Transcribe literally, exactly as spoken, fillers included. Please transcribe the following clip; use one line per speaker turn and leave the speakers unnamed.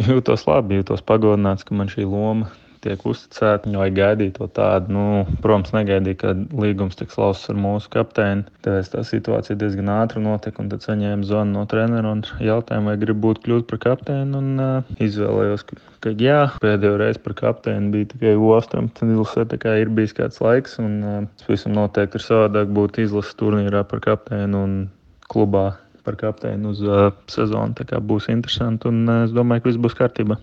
Jūtos labi, jūtos pagodināts, ka man šī loma tiek uzticēta. Vai gaidīt to tādu, nu, protams, negaidīju, ka līgums tiks lausts ar mūsu kapteini. Tāpēc tā situācija diezgan ātri notika, un tad saņēmu zvanu no trenera un jautājumu, vai gribu būt kļūt par kapteini, un uh, izvēlējos, ka, ka jā. Pēdējo reizi par kapteini bija tikai U astoņpadsmit izlasē, tā kā ir bijis kāds laiks, un uh, visam noteikti ir savādāk būt izlases turnīrā par kapteini un klubā par kapteini uz uh, sezonu. Tā kā būs interesanti, un uh, es domāju, ka viss būs kārtībā.